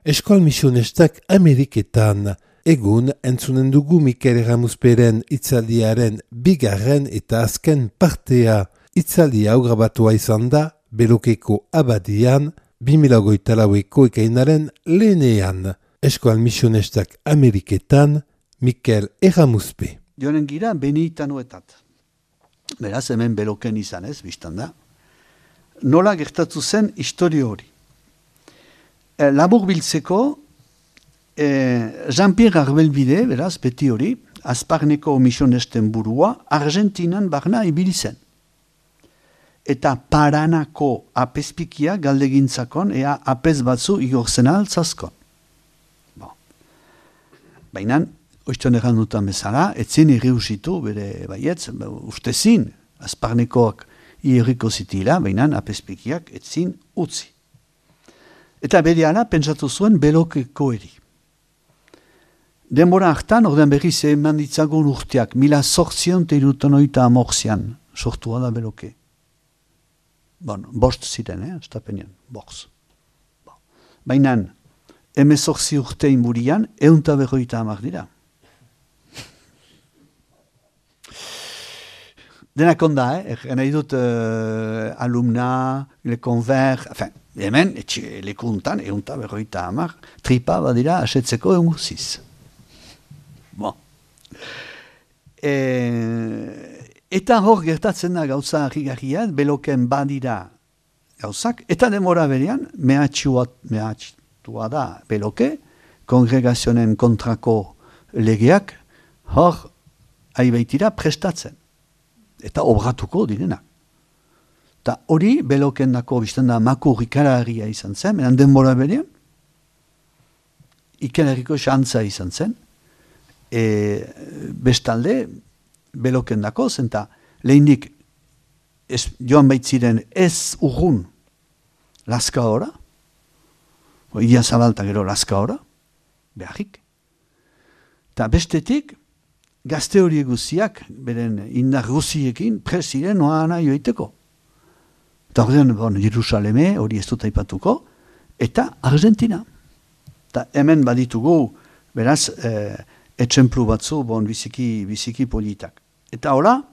Eskol misionestak Ameriketan. Egun entzunen dugu Mikel Erramuzperen hitzaldiaren bigarren eta azken partea. Hitzaldi hau grabatua izan da Belokeko abadian 2024ko ekainaren lehenean. Eskol misionestak Ameriketan Mikel Erramuzpe. Joanen gira benitanoetat. Beraz hemen Beloken izan ez, biztan da. Nola gertatu zen historio hori. Labur biltzeko, Jean-Pierre Arbelbide, beraz, beti hori, Azparneko misionesten burua, Argentinan barna ibili zen. Eta Paranako apezpikia galdegintzakon, ea apez batzu igorzen altzazkon. Baina, oizton erran dutan bezala, etzin irriusitu, bere baietz, ustezin, Azparnekoak irriko zitila, baina apezpikiak etzin utzi. Eta berehala pentsatu zuen Belokeko eri. Denbora hartan, ordean berriz eman ditzagun urteak, 1880 sortua da Beloke. Bost ziren, estapenean, bost. Baina, 18 urte inburian, 150 dira. Denak onda, nahi dut alumna, le convert, enfin, hemen, lekuntan, 150, tripa badira asetzeko eguziz. Bon. Eta hor gertatzen da gauza harrigarriak, Beloken badira gauzak, eta demora berean, mehatxua da Beloke, kongregazionen kontrako legeak, hor aibaitira prestatzen. Eta obratuko direnak. Eta hori, Beloken dako bizten da makur ikaragarria izan zen, menan denbora berean, ikararriko xantza izan zen, bestalde, Beloken dako, zenta lehinik joan baitziren ez urrun laska ora, idia zabalta gero laska ora, beharrik. Eta bestetik, gazte hori guziak, beren indar guziekin, presiren noana joiteko. Eta horrean, Jerusaleme, hori ez dut aipatuko, eta Argentina. Eta hemen baditugu, beraz, etxemplu batzu, biziki politak. Eta hola,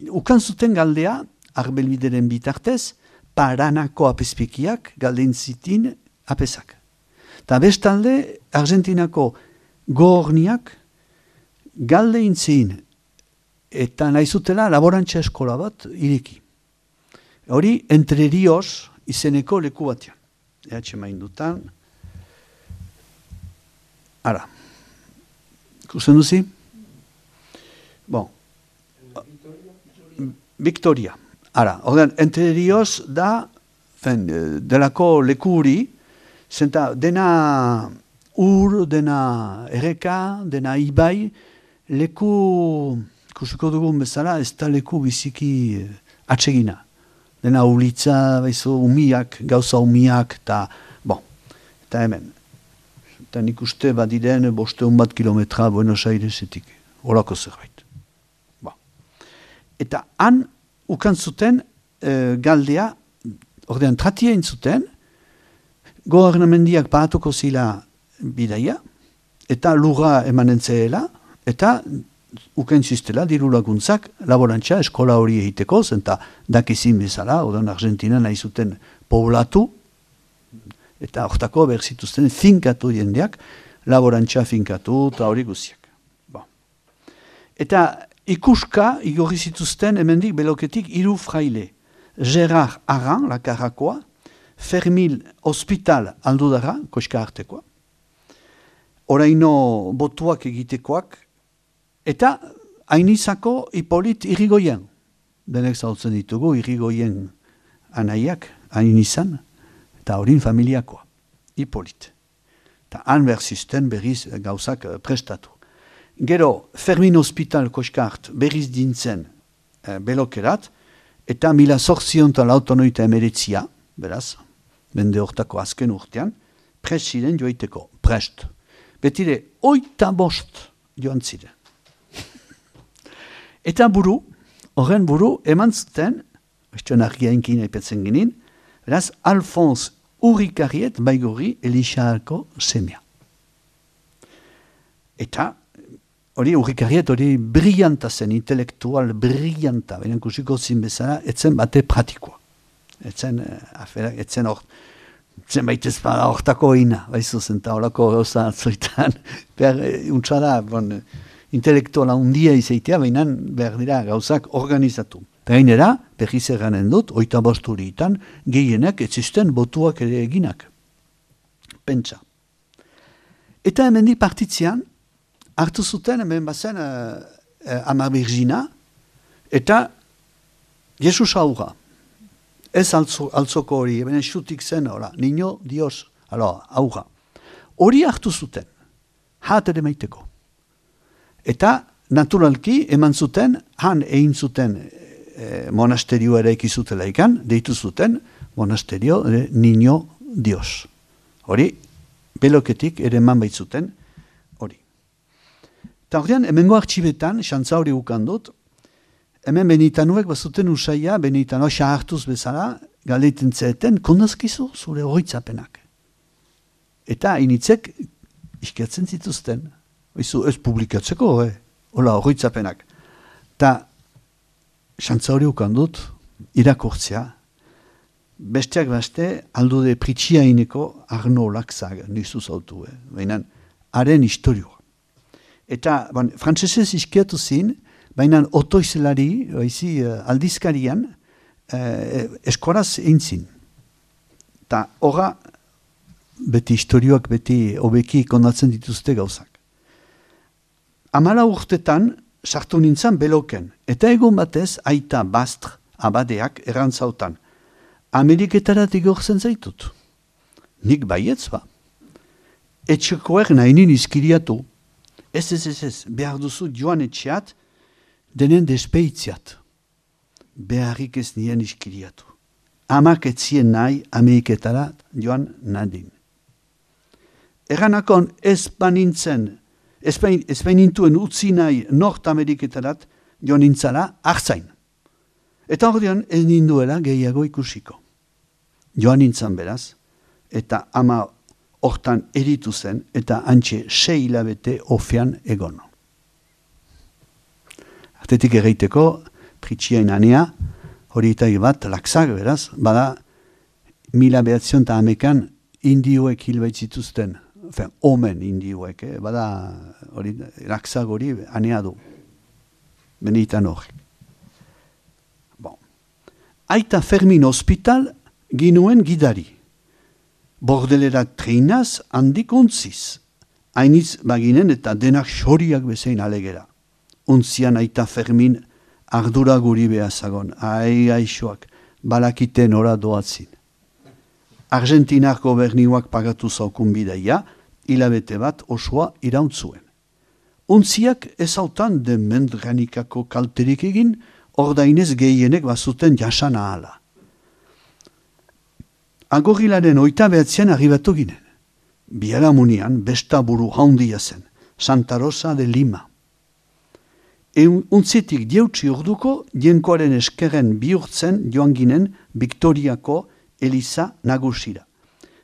ukan zuten galdea, Arbelbideren bitartez, Paranako apezpikiak galdein zitin apezak. Eta bestalde, Argentinako gorniak galde intzin eta nahizutela laborantza eskola bat iriki. Hori, Entre Rios izeneko leku batean. Ehatxe maindutan. Ara. Ikusten duzi? Bon. Victoria. Ara. Ordean, Entre Rios da delako leku huri, zenta dena dena erreka, dena ibai, leku, kusiko dugun bezala, ez da leku biziki atsegina. Dena ulitza, umiak, gauza umiak, eta hemen. Eta nik uste badiren 500 kilometra Buenos Airesetik, horako zerbait. Eta han, ukan zuten galdea, ordean tratia intzuten, gobernamendiak paatuko zila bidaia, eta lurra emanentzeela, eta ukentziztela diru laguntzak laborantza eskola hori egiteko, zenta dakizin bezala, odan Argentina nahi zuten poblatu, eta hortako berzituzten finkatu jendeak, laborantza finkatu, eta hori guziak. Eta ikuska igorri zituzten hemendik Beloketik 3 fraile. Gerard Arran, lakarrakoa, Fermil Hospital aldudara, koska artekoa, oraino botuak egitekoak, eta hainizako Hipolit Irigoyen. Denek zautzen ditugu, Irigoyen anaiak, hainizan, eta horin familiakoa, Hipolit. Eta han berzisten berriz gauzak prestatu. Gero, Fermin Hospital koskart berriz dintzen Belokerat, eta 1889 beraz, bende hortako azken urtean, prest ziren joiteko, prest. Betire, 85 joan ziren. Eta horren buru, eman zuten, estuen argiainkin aipatzen ginen, beraz, Alphonse Urrikarriet Baigorri Elixako semea. Eta, Urrikarriet brillanta zen, intelektual brillanta, baina kusiko zin bezala, etzen bate pratikoa. Etzen baitez bada hortako ina, baizu zen, eta horako gauza atzoitan, untsada, intelektuala undia izaitea, baina behar dira gauzak organizatu. Gainera, berriz erranen dut, 25 urteetan, gehienak etzisten botuak ere eginak. Pentsa. Eta hemendik partitzean, hartu zuten, hemen bazen Ama Birgina, eta Jesus aurra. Ez altzoko hori, hemen xutik zen, Niño Dios, aurra. Hori hartu zuten, hat ere maiteko. Eta, naturalki, eman zuten, han egin zuten monasterio ere ekizutela ikan, deitu zuten monasterio Niño Dios. Hori, beloketik ere eman baitzuten, hori. Eta horrean, hemengo artxibetan, xantza hori ukandut, hemen benitanuek bazuten usaia, benitanoa hartuz bezala, galeiten zeeten, kondazkizu zure horitzapenak. Eta initzek iskiatzen zituzten. Ez publikatzeko, hola horitzapenak. Eta xantza hori ukandut, irakurtzea, besteak beste, aldude pritxiaineko Arno Laxag nizu zautu, baina haren historioa. Eta, frantzesez iskiatu zin, baina otoizelari, aldizkarian, eskoraz eintzin. Eta horra, beti historioak, beti hobeki kondatzen dituzte gauzak. 14 urtetan, sartu nintzen beloken, eta egun batez, aita Bastr abadeak errantzautan. Ameriketarat igortzen zaitut. Nik baietz ba. Etxekoek nahinin izkiriatu. Ez, behar duzu joan etxeat, denen despeitziat. Beharrik ez nien izkiriatu. Amak etzien nahi Ameriketarat joan nadin. Erranakon ez banintzen, ez bainintuen utzi nahi Nord-Ameriketarat joan nintzala hartzain. Eta ordean ez ninduela gehiago ikusiko. Joan nintzen beraz, eta ama hortan eritu zen, eta antxe 6 hilabete ofean egon. Artetik erreiteko, pritxiain anea, hori eta bat, Laxag beraz, bada 1900 indioek hilbaitzituzten, omen indioek, bada hori, Laxag hori anea du. Benitan hori. Aita Fermin hospital ginuen gidari. Bordelera treinaz handik untziz. Hainiz baginen eta denak xoriak bezein alegera. Untzian Aita Fermin ardura guri behazagon. Aixoak, balakiten ora doatzin. Argentinar goberniuak pagatu zaukun bidaia, hilabete bat osoa irauntzuen. Untziak ezautan demendranikako kalterik egin, ordainez gehienek bazuten jasan ahala. Agorilaren 29 arribatu ginen. Biharamunian besta buru handia zen, Santa Rosa de Lima. Untzitik diautzi urduko, jenkoaren eskerren bihurtzen joan ginen Victoriako Eliza nagusira.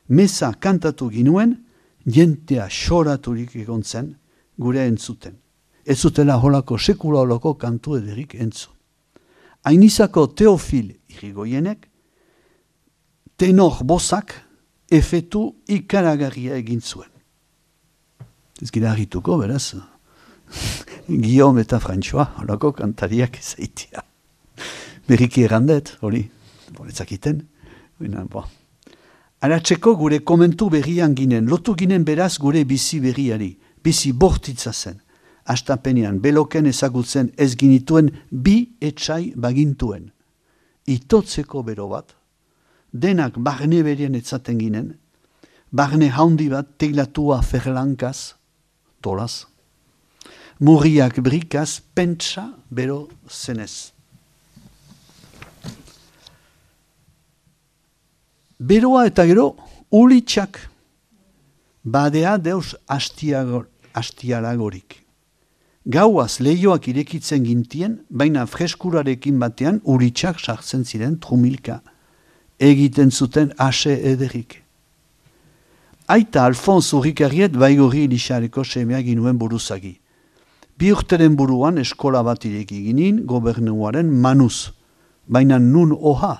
Meza kantatu ginuen, jentea xoraturik egon zen, gure entzuten. Ez zutela holako sekula holako kantu ederik entzun. Ainizako Teofil Irigoienek, tenor bozak efetu ikaragarria egin zuen. Ez gira harrituko, beraz, Guillaume eta François, holako kantariak ezaitia. Berriki errandet, hori, ezakiten. Aratzeko gure komentu berrian ginen, lotu ginen beraz gure bizi berriari, bizi bortitza zen. Astapenean beloken ezagutzen ez ginituen 2 etxai bagintuen. Itotzeko bero bat, denak barne berien etzaten ginen, barne haundi bat teilatua ferlankaz, tolaz, murriak brikaz pentsa bero zenez. Beroa eta gero ulitxak, badea deus astialagorik. Gauaz lehioak irekitzen gintien, baina freskurarekin batean uritxak sartzen ziren trumilka. Egiten zuten ase ederik. aita Alfonso Urrikarriet Baigorri Elixareko semea ginuen buruzagi. 2 urteren buruan eskola bat ireki ginin gobernuaren manuz, baina nun oha.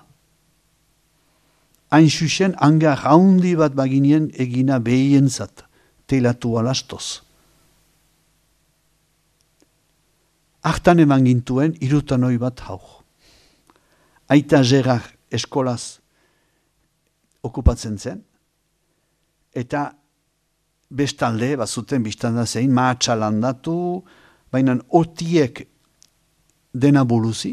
Hain xuxen hangar haundi bat baginien egina behientzat, teilatu alastoz. Hartan eman gintuen 3 bat hau. Aita Gerard eskolaz okupatzen zen, eta bestalde, bazuten biztanda zein, mahatsa landatu, baina otiek dena buluzi,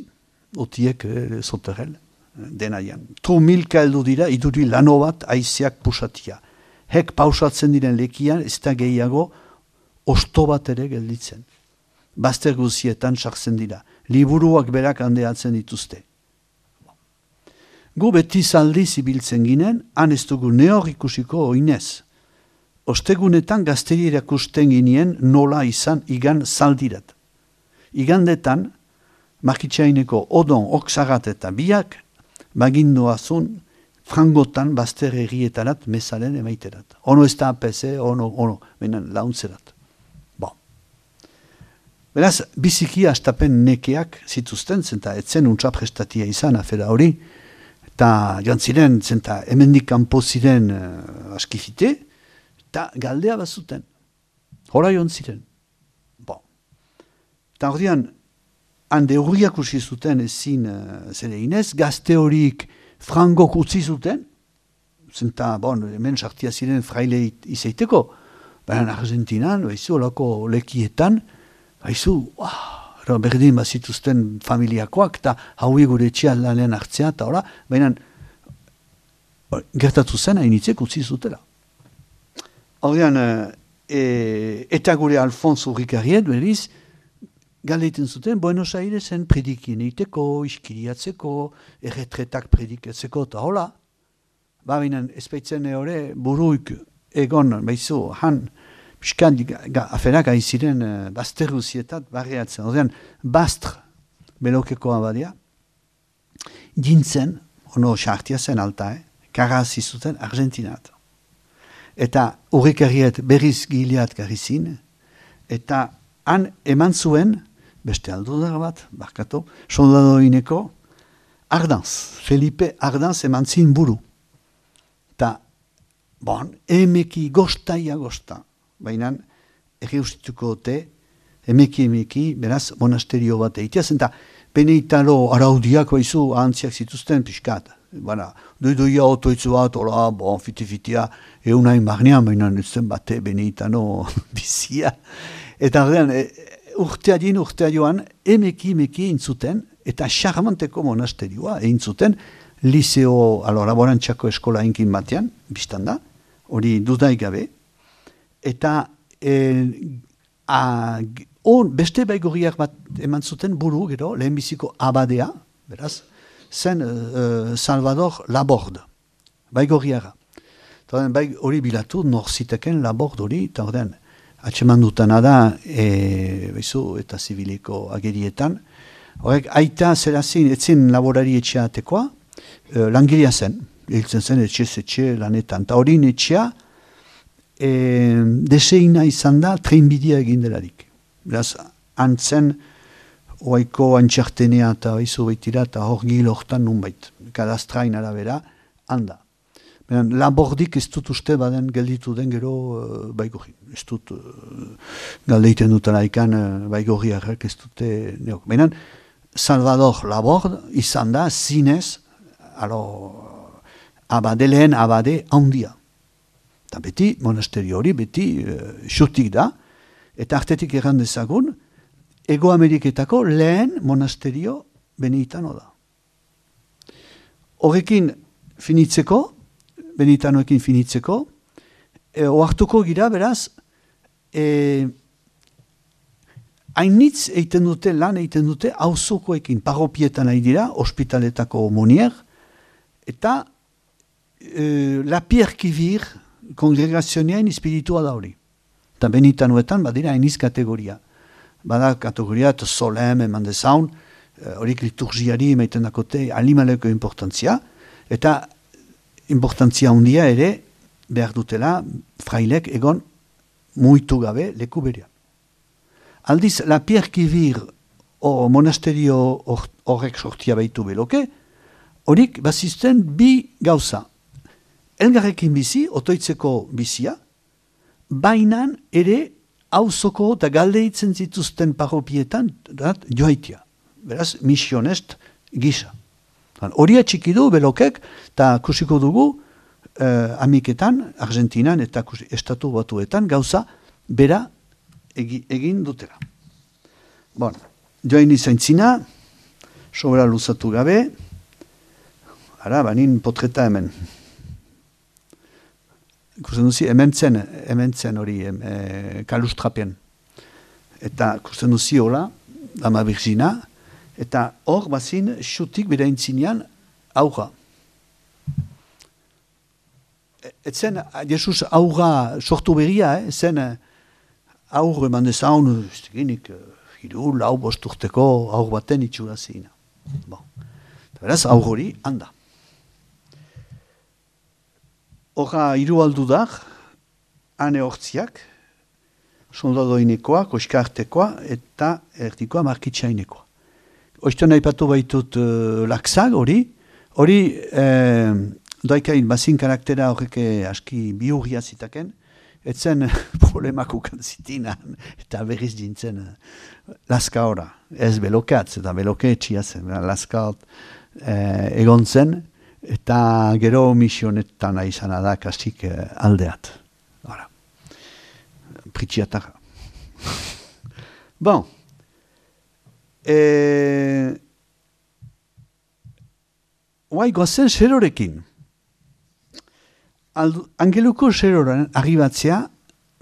otiek zoterrel, denaian. Milka heldu dira, iduri lano bat aizeak pusatia. Hek pausatzen diren lekian, ez da gehiago, osto bat ere gelditzen. Bazter guzietan sartzen dira. Liburuak berak handeatzen dituzte. Gu beti zaldi zibiltzen ginen, han ez dugu neor ikusiko oinez. Ostegunetan gazteri erakusten ginien nola izan igan zaldirat. Igandetan, Markitxaineko odon oksagat eta biak, bagindoazun frangotan bazter errietarat mesaren emaiterat. Ono ez da apese, ono, benen launtzerat. Bon. Beraz, biziki astapen nekeak zituzten, zenta etzen untsa prestatia izan afera hori, eta joan ziren, zenta hemendik kanpo ziren askifite, eta galdea bazuten. Hora joan ziren. Bon. Eta ordean, hande hurriak usi zuten ezin zere inez, gazte horiek frangok utzi zuten, zenta, bon, hemen sartia ziren fraile izaiteko, baina Argentinan, baizu, olako lekietan, baizu, berdin bazituzten familiakoak, eta haui gure etxean lanean hartzea, eta hola, baina gertatu zen hainitzek utzi zutela. Horrean, eta gure Alfonso Urrikarriet, beriz, galeiten zuten, Buenos Airesen predikien eiteko, iskiriatzeko, erretretak predikatzeko, eta hola, baina ezpeitzen hori buruik egon, baizu, han, piskat, aferak aiziren bazter guzietat barriatzen. Odean, bastr belokeko abadia, jintzen, ono xartia zen alta, karazi zuten Argentinat. Eta Urrikarriet berriz gileat garizin, eta han eman zuen, beste aldudar bat, barkatu, soldadoineko, Ardanz, Felipe Ardanz eman zin buru. Eta, bon, emeki gostaia gosta, baina erreustituko ote, emeki, beraz, monasterio bat eiteaz, eta Benitalo araudiak baizu ahantziak zituzten piskat. Bana, doidoia otoitzu bat, hola, bon, fiti-fitia, eunain barnean, baina nintzen bate Benitano bizia. Eta ordean, urtea joan, emeki intzuten, eta charmanteko monasterioa intzuten, liceo, laborantxako eskola inkin batean, biztan da, hori dudaik gabe, eta beste baigorriak bat eman zuten buru, gero, lehenbiziko abadea, beraz, zen Salvador Laborde, baigorriara. Hori bilatu, norziteken Laborde hori, eta ordean, atseman dutana da, eta zibiliko agerietan, horrek, aita zerazin, etzen laborari etxeatekoa, langilea zen, hiltzen zen etxe lanetan, eta hori etxea, deseina izan da, trenbidea egin delarik. Beraz, antzen, oaiko antxartenea eta izu baitira, eta hor gil hortan nunbait, kadastrain arabera, handa. Labordik ez dut uste baden gelditu den gero baigorri. Ez dut galdeiten duten aikan baigorriarrak ez dute neok. Baina Salvador Laborde izan da zinez, lehen abade handia. Eta beti, monasterio hori, beti xutik da, eta artetik erran dezagun, Ego Ameriketako lehen monasterio Benitano da. Horrekin finitzeko, Benitanoekin finitzeko, oartuko gira, beraz, hainitz eiten dute, lan eiten dute, auzokoekin parropietan nahi dira, ospitaletako monier, eta la Pierre Kivir kongregazionean espiritua da hori. Eta Benitanoetan badira hainiz kategoria. Bada kategoria eta solem eman dezaun, horik liturgiari emaiten dakote animaleko importantzia, eta importantzia handia ere behar dutela frailek egon muitu gabe leku berean. Aldiz, la Pierre Kivir monasterio horrek sortia baitu beloke, horik bazizten bi gauza. Elgarrekin bizi, otoitzeko bizia, bainan ere auzoko eta galdeitzen zituzten parropietan joaitia. Beraz, misionest gisa. Hori atxikidu belokek, eta kusiko dugu, Ameriketan, Argentinan eta Estatu Batuetan gauza bera egin dutela. Bon, joan izaintzina, sobera luzatu gabe, ara, banin potreta hemen. Kusten duzi, hemen zen hori kalustrapien. Eta kusten duzi hola, Dama Virgina, eta hor bazin xutik bera intzinean auga. Etzen, Jesus auga sortu berria, zen aur eman dezaun, hiru, lau bosturteko aur baten itxura zina. Bon. Beraz, aur hori handa. Horra hiru aldudak, ane hortziak, soldadoinekoa, koskartekoa eta erdikoa markitsainekoa. Oizten aipatu baitut lakzag hori doikain bazin karaktera horreke aski biurria zitaken, etzen problemak ukan zitinan, eta berriz dintzen laska ora. Ez belokatz, eta beloke etxia zen, laska egon zen, eta gero misionetan aizan da kastik aldeat. Pritxiatara. Bon. Oai goazen serorekin. Angeluko seroren arribatzea,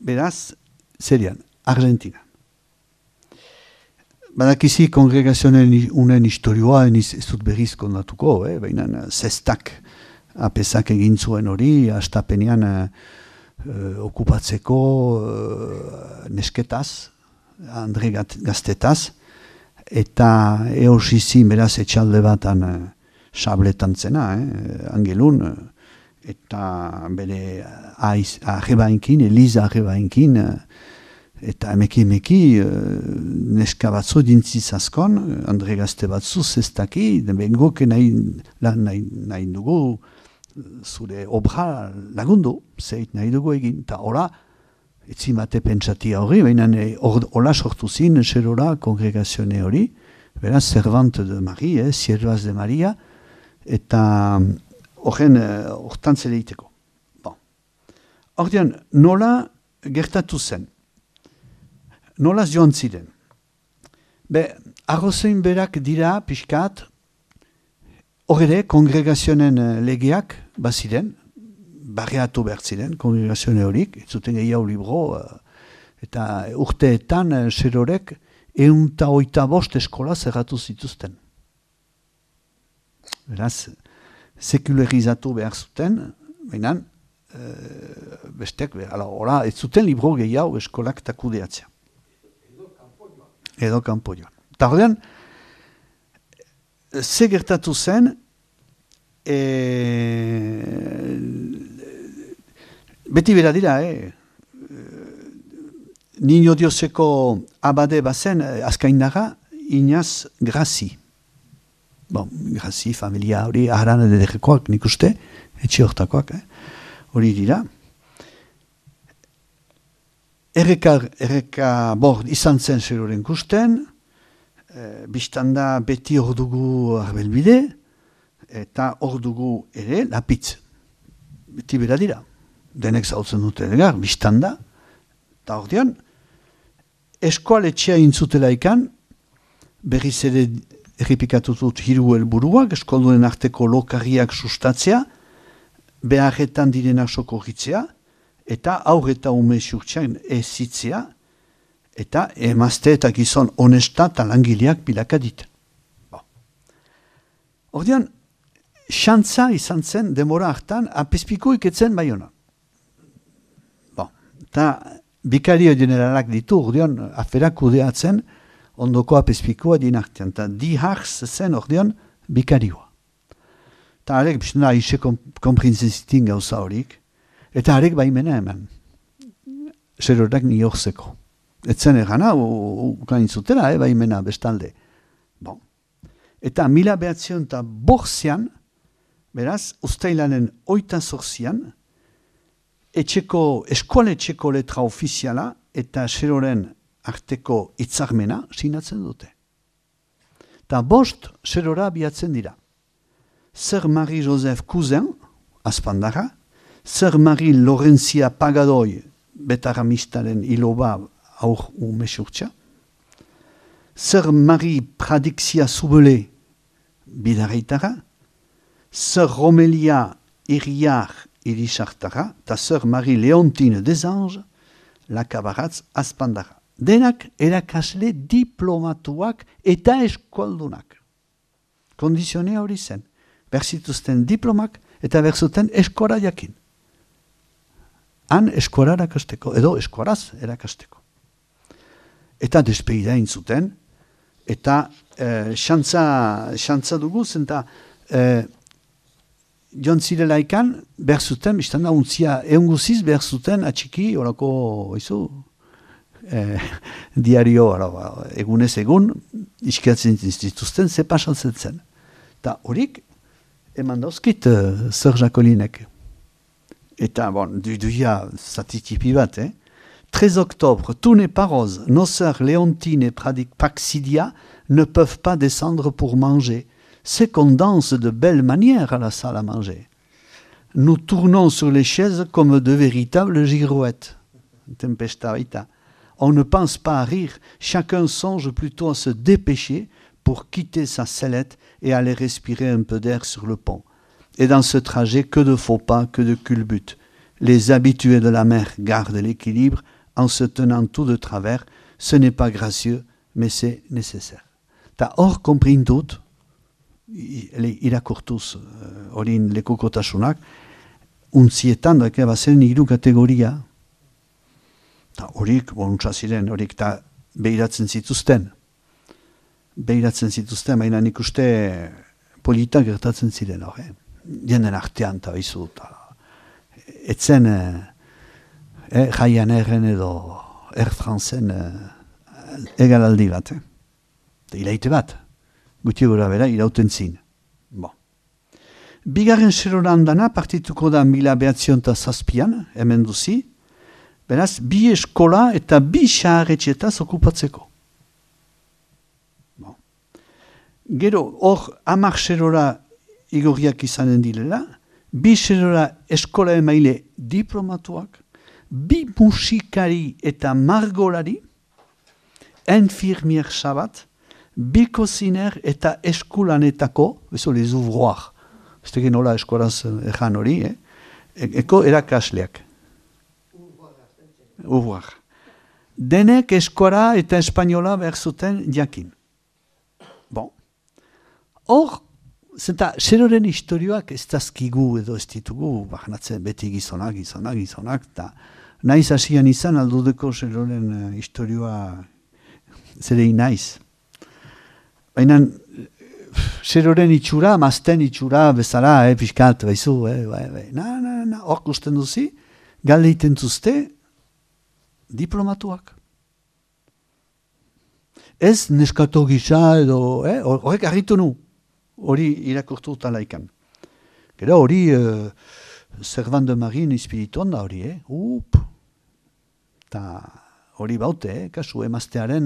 beraz, zerian, Argentina. Badakizi kongregazionen unen historioa, ez dut berriz kondatuko, baina zestak apesak egin zuen hori, astapenean okupatzeko nesketaz, Andre gaztetaz, eta eosizin beraz etxalde batan sabletan zena, Angelun, eta bere arrebainkin, Eliza arrebainkin, eta emeki neska batzu dintzizazkon, Andre gazte batzu zestaki, bengoke nahi dugu zure obra lagundu, zeit nahi dugu egin, eta hola, etzimate pentsatia hori, baina hola sortu zin, serora, kongregazione hori, beraz, Servante de Marie, Siervas de Maria, eta hortan zeleiteko. Bon. Ordean, nola gertatu zen? Nola joan ziren? Arrozein berak dira, pixkat, horre, kongregazionen legeak, baziren, barreatu behar ziren, kongregazione horik, ez zuten gehiago libro, eta urteetan serorek 125 eskola zerratu zituzten. Beraz, sekularizatu behar zuten, baina bestek, hola, ez zuten libro gehiago eskolak takudeatzea. Edo kanpo joan. Eta horrean, ze gertatu zen, beti bera dira, Niño Dioseko abade bazen, azkaindaga, Iñaz Grazi. Bon, Grazi, familia hori, aharan ederrekoak nik uste, etxe hortakoak, hori dira. Erreka bord izan zen zeroren kusten, biztanda beti hor dugu arbelbide, eta hor dugu ere lapitz. Beti bera dira. Denek zautzen dute egar, biztanda. Eta hor dian, eskoaletxea intzutela ikan, berriz ere errepikatutut hiru helburuak, eskolduen arteko lokarriak sustatzea, beharretan direnak sokorritzea, eta aur eta ume xurtxean ezitzea, eta emazte eta gizon honesta eta langileak pilakadit. Ordean, xantza izan zen demora hartan, apespiko iketzen baiona. Eta bikario generalak ditu, ordean, aferak kudeatzen, ondoko apespikoa dinartean, eta diharz zen ordean bikarioa. Eta alek, biztena, aixe konprintzezitin gauza horik, Eta harek baimena eman. Serorak niorzeko. Etzen egana, ukain zutela, baimena bestalde. Bon. Eta 1905 beraz, ustailaren 28an, eskoletxeko letra ofiziala eta Seroren arteko hitzarmena sinatzen dute. Eta 5 Serora abiatzen dira. Sir Marie-Joseph Cousin, Aspandarra, Sir Marie Lorenzia Pagadoi, betaramistaren iloba aur umesurtxa, Sir Marie Pradixia Soubelé, bidarreitara, Sir Romelia Iriar irisartara, eta Sir Marie Leontine Desange, Lakabaratz Aspandarra. Denak erakasle diplomatuak eta eskualdunak. Kondizionea hori zen. Berzituzten diplomak eta berzuten eskora jakin. Han eskora erakasteko, edo eskoraz erakasteko. Eta despeida intzuten, eta xantza dugu, zenta joan zirelaikan berzuten, biztan da untzia eunguziz berzuten atxiki, orako, izu, diario, egunez egun, iskiatzen zituzten, ze pasatzen zen. Eta horik, eman dauzkit Sir Jacquelinek. Eta, bon, duia zatitipi bat, 13 octobre, tous les paroses, nos sœurs Léontine et Praxidia ne peuvent pas descendre pour manger. C'est qu'on danse de belle manière à la salle à manger. Nous tournons sur les chaises comme de véritables girouettes. Tempesta baita. On ne pense pas à rire, chacun songe plutôt à se dépêcher pour quitter sa sellette et aller respirer un peu d'air sur le pont. Et dans ce trajet, que de faux pas, que de culbutes. Les habitués de la mer gardent l'équilibre en se tenant tout de travers. Ce n'est pas gracieux, mais c'est nécessaire. Ta hor comprindut, irakurtuz horin lekukotasunak, untzietan doike bazen 3 kategoria. Ta horik, bonuntza ziren, horik ta behiratzen zituzten. Behiratzen zituzten, baina nik uste politak gertatzen ziren hor, jenden artean, eta bizu, etzen Ryanairren edo Air Franceen egalaldi bat, iraite bat, guti gura bera, irauten zin. Bon. Bigarren Seroran dana partituko da 1907, hemen duzi, beraz, 2 eskola eta 2 xaharretxetaz okupatzeko. Bon. Gero, hor, 10 Serora igorriak izanen direla, 2 Serora eskola emaile diplomatuak, 2 musikari eta margolari, infirmier sabat, 2 koziner eta eskulanetako, bezo les ouvroirs, ez teken nola eskolaz ejan hori, eko erakasleak. Ouvroir. Denek eskora eta espainola behar zuten jakin. Bon. Hor, zenta, Seroren historioak ez dazkigu edo ez ditugu, bahnatzen beti gizonak, eta naiz hasian izan aldudeko Seroren historioa zerei naiz. Baina Seroren itxura, mazten itxura bezala, piskat, baizu, hor gusten duzi, galdeiten zuzte, diplomatuak. Ez neskato gisa edo, horrek harritu nu, hori irakurtu talaikan. Gero hori, Servan de Marine espirituan da hori, eta hori baute, kasu emaztearen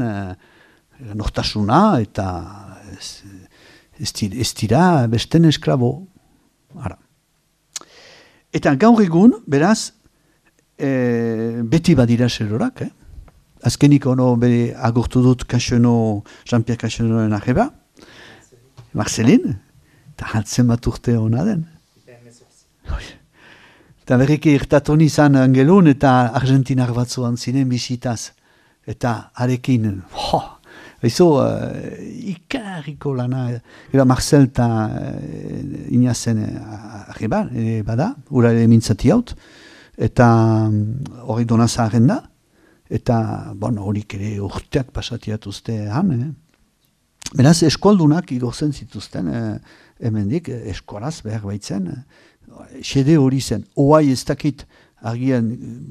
nortasuna eta ez dira besten esklabo. Ara. Eta gaur egun, beraz, beti badira Serorak, Azkenik ono bere agurtu dut Jean-Pierre Cachonoren arreba, Marcelin, eta haltzen bat urte hona den. Eta berriki irtatu nizan angelun eta Argentinar batzuan zinen bizitaz. Eta arekin, ikarriko lana, Marcel eta Inazen arreba, bada, urare mintzati haut, eta hori donazaren da, eta horik ere urteak pasatiatuzte han. Beraz, eskoldunak igortzen zituzten, hemendik, eskolaz behar baitzen, xede hori zen. Oai ez dakit Argian,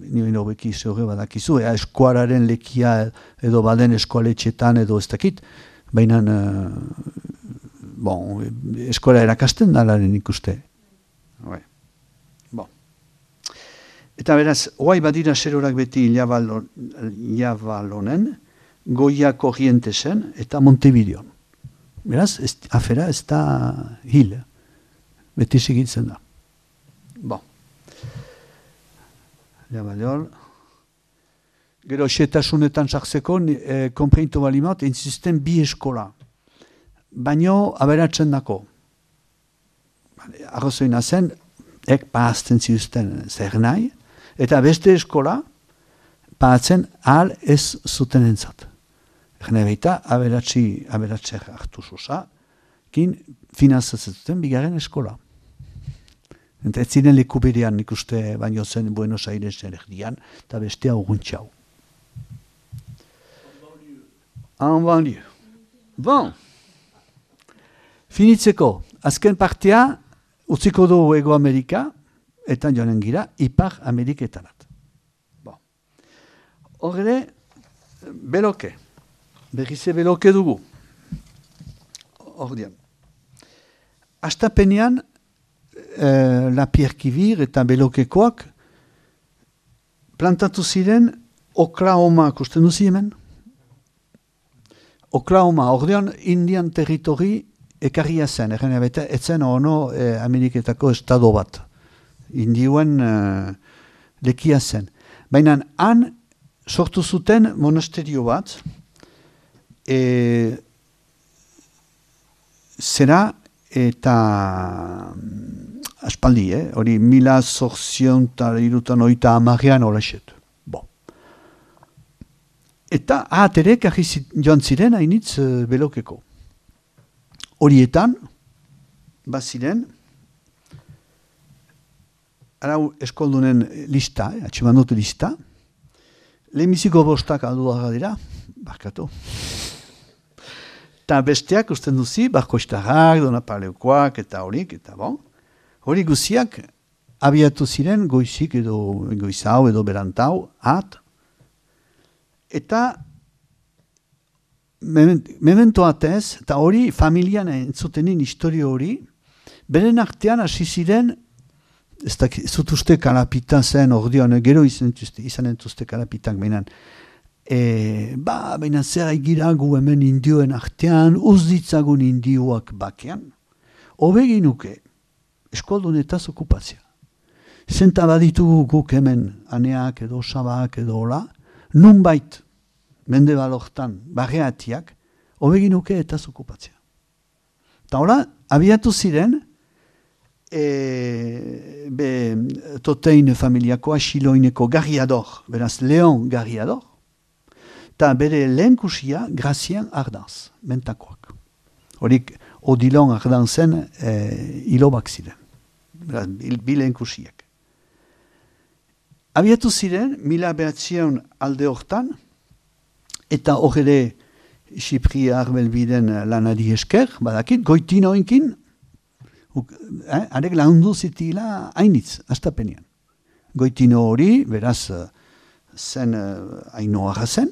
nire hobeki zeure badakizu, eskuararen lekia edo baden eskoaletxetan edo ez dakit, baina eskola erakasten dalaren ikuste. Eta beraz, oai badira zerorak beti Iabalonen, Goia Korrientesen eta Montevideon. Beraz, afera ez da hil, beti segitzen da. Jabalol. Gero, xetasunetan sartzeko, konpreintu balimat, insisten bi eskola. Baino, aberatzen dako. Arrozoina zen, paazten ziuzten zer nahi, eta beste eskola, paatzen ahal ez zuten entzat. Erne baita, aberatzer hartu zuza, kin finanzatzen zuten bigarren eskola. Eta ez ziren leku berean ikuste baino zen Buenos Airesen erdian, eta bestea urguntxau. En banlieue. Bon. Finitzeko, azken partea, utziko du Ego Amerika, eta joanen gira, Ipar Ameriketarat. Bon. Horre, beloke. Berrize beloke dugu. Hordian. Astapenean, Lapierre-Kivir eta Belokekoak plantatu ziren Oklahoma, kusten duzi hemen? Oklahoma, ordean Indian territori ekarria zen, etzen ono Ameriketako estado bat. Indioen lekia zen. Baina han sortu zuten monasterio bat, zera eta aspaldi, hori 1830 olaxet. Eta ahaterek joan ziren hainitz Belokeko. Horietan, baziren, arau eskoldunen lista, atximandotu lista, lehenbiziko bostak alduaga dira, barkatu. Eta besteak usten duzi, Barkoistarrak, Donapaleukoak, eta horik, eta bon. Hori guziak abiatu ziren goizik edo goizau edo berantau, eta memento atez, eta hori familian entzutenin historio hori, beren artean hasi ziren, ez da zutuzte kalapita zen, ordean, gero izan entuzte kalapitak behinan, baina zer aigiragu hemen indioen artean, uzditzagun indioak bakean, hobeginuke, eskualdunetaz okupazia. Zenta baditugu guk hemen, aneak edo sabak edo hola, nunbait, mende balortan, barreatiak, hobeginuke etaz okupatzea. Eta hola, abiatu ziren, totein familiakoa, Xiloineko Garriador, beraz Leon Garriador, eta bere lehenkusia Grazian Ardanz, mentakoak. Horik, Odilon Ardanzen hilobak ziren, beraz, bi lehenkusiak. Abiatu ziren, 1900 alde hortan, eta horre Xipria Arbelbiden lanari esker, badakit, goitino inkin, arek laundu zitila hainitz, astapenean. Goitino hori, beraz, zen hainoa zen.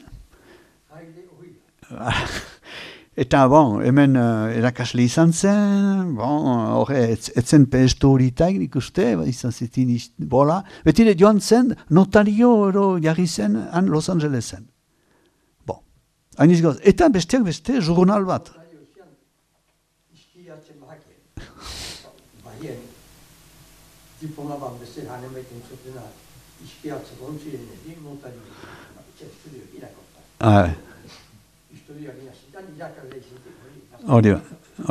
Eta, bon, hemen erakasle izan zen, bon, etzen pestu horitaik nik uste, izan zitin bola. Betire joan zen, notario jarri zen, han Los Angelesen. Bon, hainiz gauz. Eta besteak beste, jurnal bat. Diplomaban bezala hanemeiten zutena, ispiatzeko ontziren egin, notario estudio irakorta. Historia gina zitan, irakarle izitik.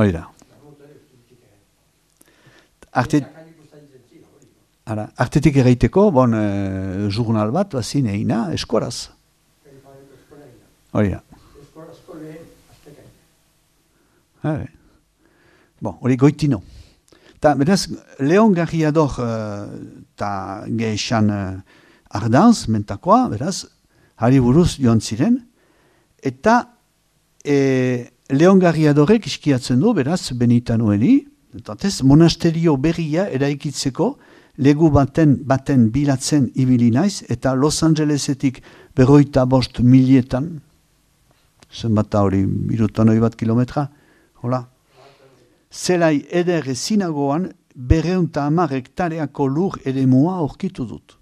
Hori da. Artetik erraiteko, bon, jurnal bat, bazin egina, eskoraz. Hori da. Eskorazko lehen, aztekain. Bon, hori goitino. Ta, beraz, Leon Garriador eta gehixan Ardanz, mentakoa, beraz, hari buruz joan ziren, eta Leon Garriadorek iskiatzen du, beraz, Benitanueli, eta monasterio berria eraikitzeko legu baten bilatzen ibili naiz, eta Los Angelesetik 55 milietan, zenbat hori, 101 kilometra, hola, zelai eder ezinagoan 210 hektareako lur eremua aurkitu dut.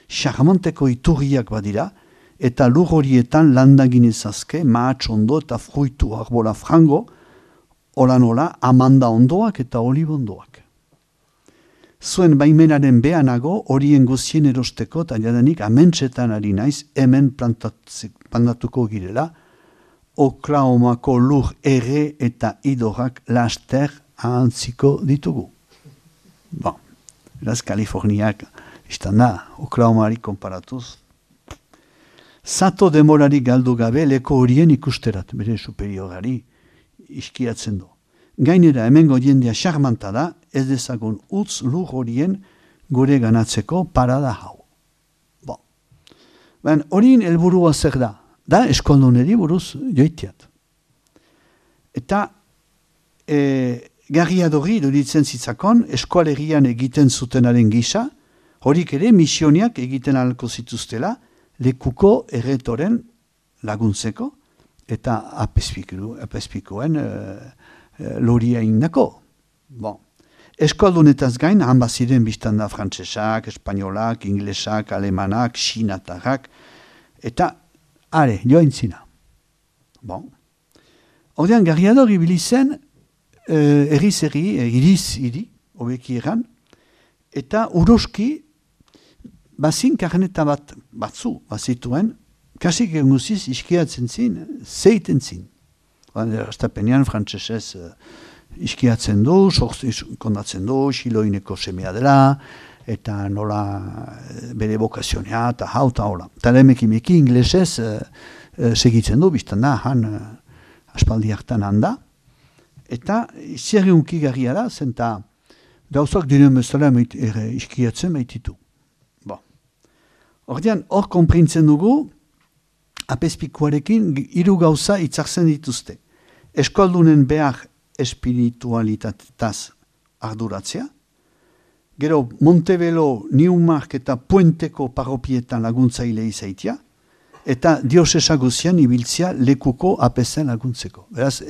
Charmanteko iturriak badira, eta lur horietan landagin ezazke, mahatsondo eta fruitu arbola frango, hola amanda ondoak eta olibondoak. Zuen baimenaren behanago horien guzien erosteko eta jadanik amentsetan ari naiz hemen plantatuko girela, Oklahomako lur ere eta idorak laster ahantziko ditugu. Bon, eraz Kaliforniak iztan da, Oklahomari konparatuz. Zato demorari galdu gabe leko horien ikusterat, bere superiorari iskiatzen du. Gainera hemengo jendea charmanta da, ez dezagun utz lur horien gure ganatzeko parada hau. Bon. Ben, horien helburua zer da? Da eskolduneri buruz joitiat. Eta garriadori duritzen zitzakon, eskualerian egiten zutenaren gisa, horik ere misioniak egiten ahalko zituztela, lekuko erretoren laguntzeko, eta apespikoen loria indako. Bon. Eskoldunetaz gain, han baziren biztan da frantsesak, espainolak, inglesak, alemanak, xinatarrak, eta are, joain zina. Bon. Ordean, garriador ibili zen, iriz, hobeki eran, eta uroski, bazin karneta batzu, bazituen, kasik eguziz iskiatzen zin, zeiten zin. Estapenean, frantsesez iskiatzen du, kondatzen du, xiloineko semea dela, eta nola bere bokazionea, eta hau eta hola. Eta lemekimeki inglesez segitzen du, biztan da, han aspaldi hartan handa, eta zerriunki garria da, zenta gauzak diren bezala iskiatzen maititu. Bon. Ordean, hor konprintzen dugu, apespikuarekin hiru gauza itzartzen dituzte. Eskoldunen behar espiritualitatez arduratzea, gero Montebello, Newmark eta Puenteko parropietan laguntzaile izaitia, eta diosesa guzian ibiltzea lekuko apezen laguntzeko. Beraz,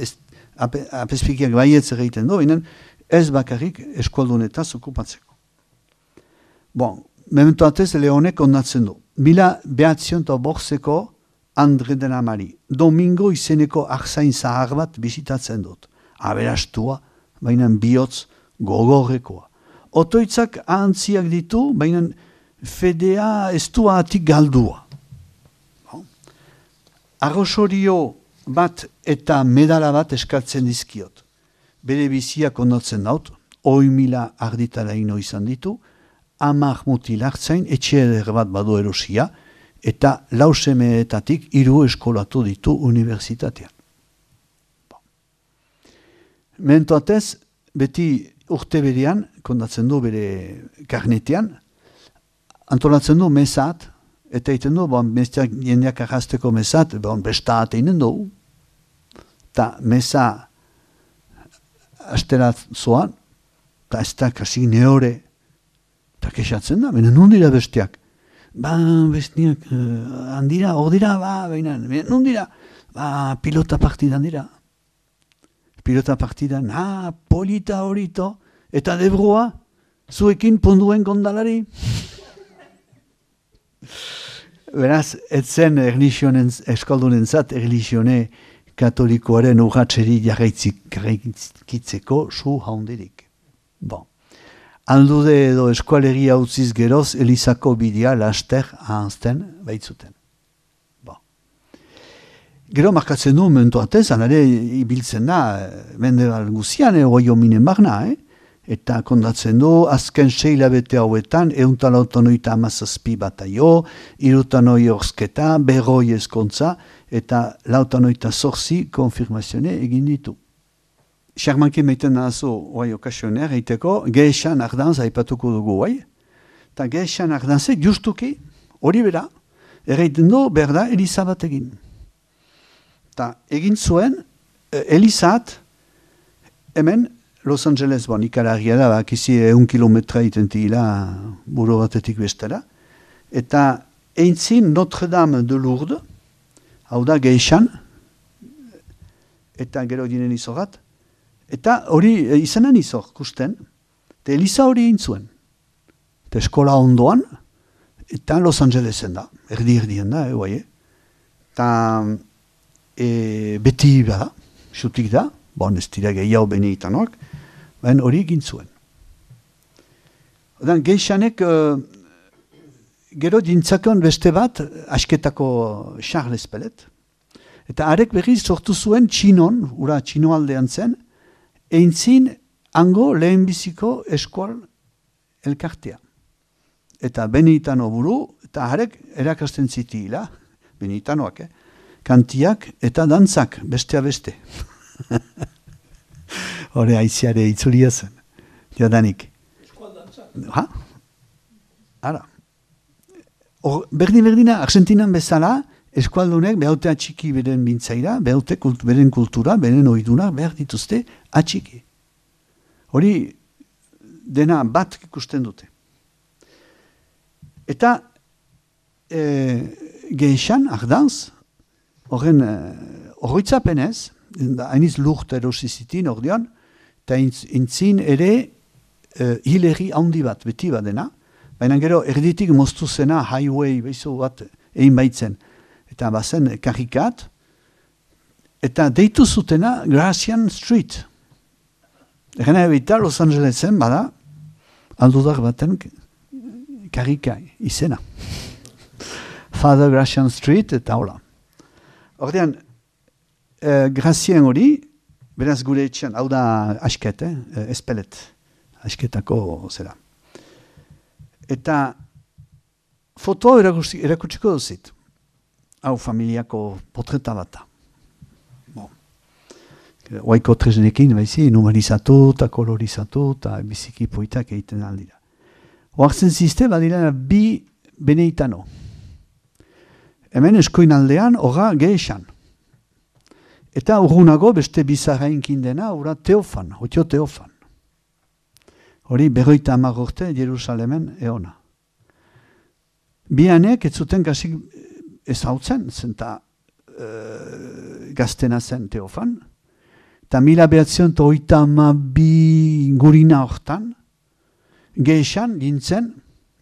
apespikiak baietz egiten du, ez bakarrik eskoldunetaz okupatzeko. Bon, memento atez Leonek ondatzen du. 1908ko Andre de la Mari, Domingo izeneko arzain zahar bat bisitatzen dut. Aberastua, baina bihotz gogorrekoa. Otoitzak ahantziak ditu, baina fedea estua atik galdua. Arrosorio bat eta medala bat eskartzen dizkiot. Bere biziak ondotzen daut, 1.000 arditara ino izan ditu, 10 mutil hartzain, etxe eder bat badu erosia, eta 4 semeetatik 3 eskolatu ditu unibertsitatean. Mentoatez, beti urte berean, kondatzen du bere karnetean, antolatzen du mesat, eta egiten du, jendeak arrasteko mesat, bestat eginen du, eta mesa asterat zoan, eta ez da kasik neore, eta kexatzen da, baina non dira bestiak? Bestiak, handira, hor dira, baina, non dira? Pilota partidan dira. Pilota partidan, polita horito, eta debrua, zuekin ponduen kondalari. Beraz, etzen eskoldunen zat, erlizione katolikoaren urratxeri jarraikitzeko zu haundirik. Bon. Aldude edo eskualegia utziz geroz, Elizako bidea laster ahanzten baitzuten. Bon. Gero markatzen du mentuatez, anare ibiltzen da, mendebal guzian, oio minen barna, eta kondatzen du, azken 6 hilabete hauetan, 187 bataio, 3 orzketa, 100 eskontza, eta 188 konfirmazione egin ditu. Xarmanki meiten nahazu, okasioner, eiteko, Gehexan Ardanz aipatuko dugu, eta Gehexan Ardanzek justuki, hori bera, erreiten du, berda, Elizabet egin. Eta egin zuen, Elizat, hemen, Los Angeles, ikaragia da, bakizi 1 kilometra itentila buru batetik bestera. Eta eintzin Notre-Dame de Lourdes, hau da geixan, eta gero dinen izogat, eta hori izanen izor, kusten, eta Eliza hori intzuen. Eta eskola ondoan, eta Los Angelesen da, erdien da, guai. Eta beti bada, xutik da, ez dira gehiago benitanoak, baina hori egin zuen. Odan, geixanek, gero dintzakon beste bat, asketako Charles Pellet, eta arek berriz sortu zuen txinon, ura txinoaldean zen, eintzin hango lehenbiziko eskual elkartea. Eta Benitano buru, eta harek erakasten zitila, Benitanoak, kantiak eta dantzak, bestea beste. Hore aiziare itzulia zen, jadanik. Eskual dantzak? Ha? Ara. Berdina, Argentinan bezala, eskualdunek behaute atxiki beren bintzaira, behaute beren kultura, beren oidunak behar dituzte atxiki. Hori dena bat ikusten dute. Eta geixan, ardanz, horren horretzapenez, hainiz lurt erosizitin ordean, eta intzin ere hileri handi bat, beti bat dena, baina gero erditik moztu zena highway, behizu bat egin baitzen, eta bazen karikat, eta deitu zutena Gracian Street. Egena ebita Los Angelesen bada, aldudak baten karika izena. Father Gracian Street eta hola. Ordean, Gracien hori, beraz gure etxean, hau da asket, espelet, asketako zera. Eta fotoa erakutsiko duzit. Hau familiako potreta bata. Oaiko tresnekin, baizi, numerizatu eta kolorizatu eta biziki poitak egiten aldira. Oartzen zizte, badira bi Beneitano. Hemen eskoin aldean, horra geixan. Eta urgunago beste bizarrainkin dena, ura Teofan, otio Teofan. Hori 50 urte Jerusalemen eona. Bianek ez zuten kasik ezautzen, zenta gaztena zen Teofan, eta 1932 ingurina hortan, geixan gintzen,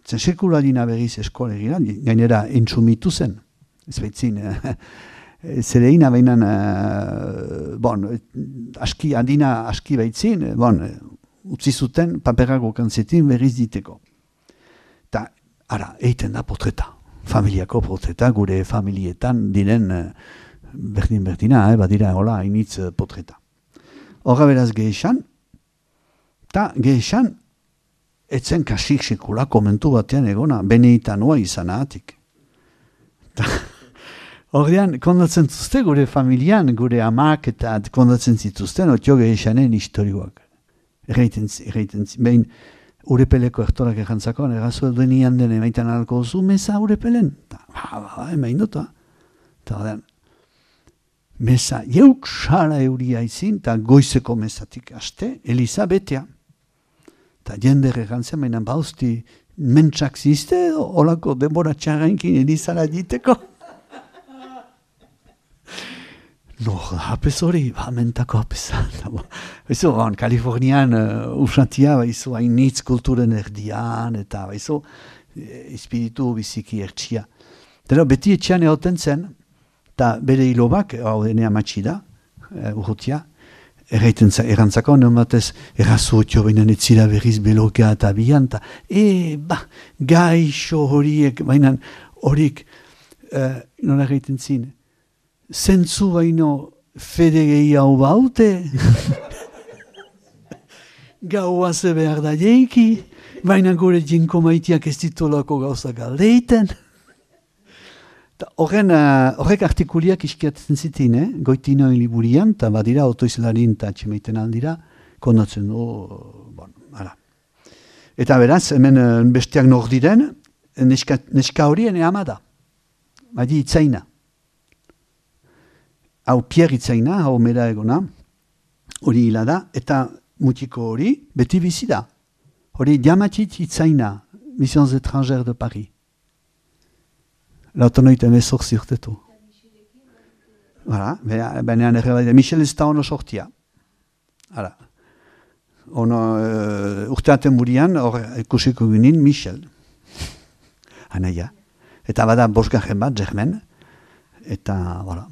zen sekula dina berriz eskolegira, gainera entzumitu zen, ez baitzin, zereina behinan, aski, adina aski baitzin, utzi zuten paperako kantzetin berriz diteko. Eta, ara, eiten da potreta, familiako potreta, gure familietan diren berdina, badira, hola, hainitz potreta. Horra beraz geixan, eta geixan, etzen kasik sekula komentu batean egona, Beneitanoa izanatik. Horrean, kondatzen zuzte gure familian, gure amak eta kondatzen zituzten, otio geixanen historioak. Erreiten behin urepeleko ertorak errantzako, errazu denian den emaitan alko zu, meza urepelen. Emain dut, eta horrean, meza, jeuk sala euria izin, eta goizeko mezatik aste, Eliza betea. Eta jende errantzea, mainan bauzti, mentsak zizte, olako denbora txarrainkin Elizara diteko. No, hapez hori, mentako hapeza. Baizu, Kalifornian usantia, baizu, hainitz kulturen erdian, eta baizu, espiritu biziki ertsia. Dero, beti etxean egoten zen, eta bere hilobak, hau denea matxi da, urrutia, errantzako, nematez, errazu otio behinan etzira berriz belokea eta bian, eta, gaixo horiek, bainan horik, nola erraiten zin, zentzu baino fedegei hau baute, gauaze behar da jeiki, baina gure jinko maitiak ez ditolako gauzak aldeiten. Horrek artikuliak iskiatzen zitin, goitinoen liburian, eta badira otoizlarin eta txemeiten aldira, kondatzen du, ara. Eta beraz, hemen besteak nor diren, neska horien ama da, badi itzaina. Hau Pierre itzaina, hau mera egona, hori hila da, eta mutiko hori, beti bizi da. Hori Diamatit Itzaina, Missions étrangères de Paris. Lautonoita emezortzi urtetu. Baina Michel ez da ono sortia. Hala. Urteaten burian, hor ikusiko ginen Michel. Anaia. Eta bada bosgarren bat, Germain. Eta, voilà.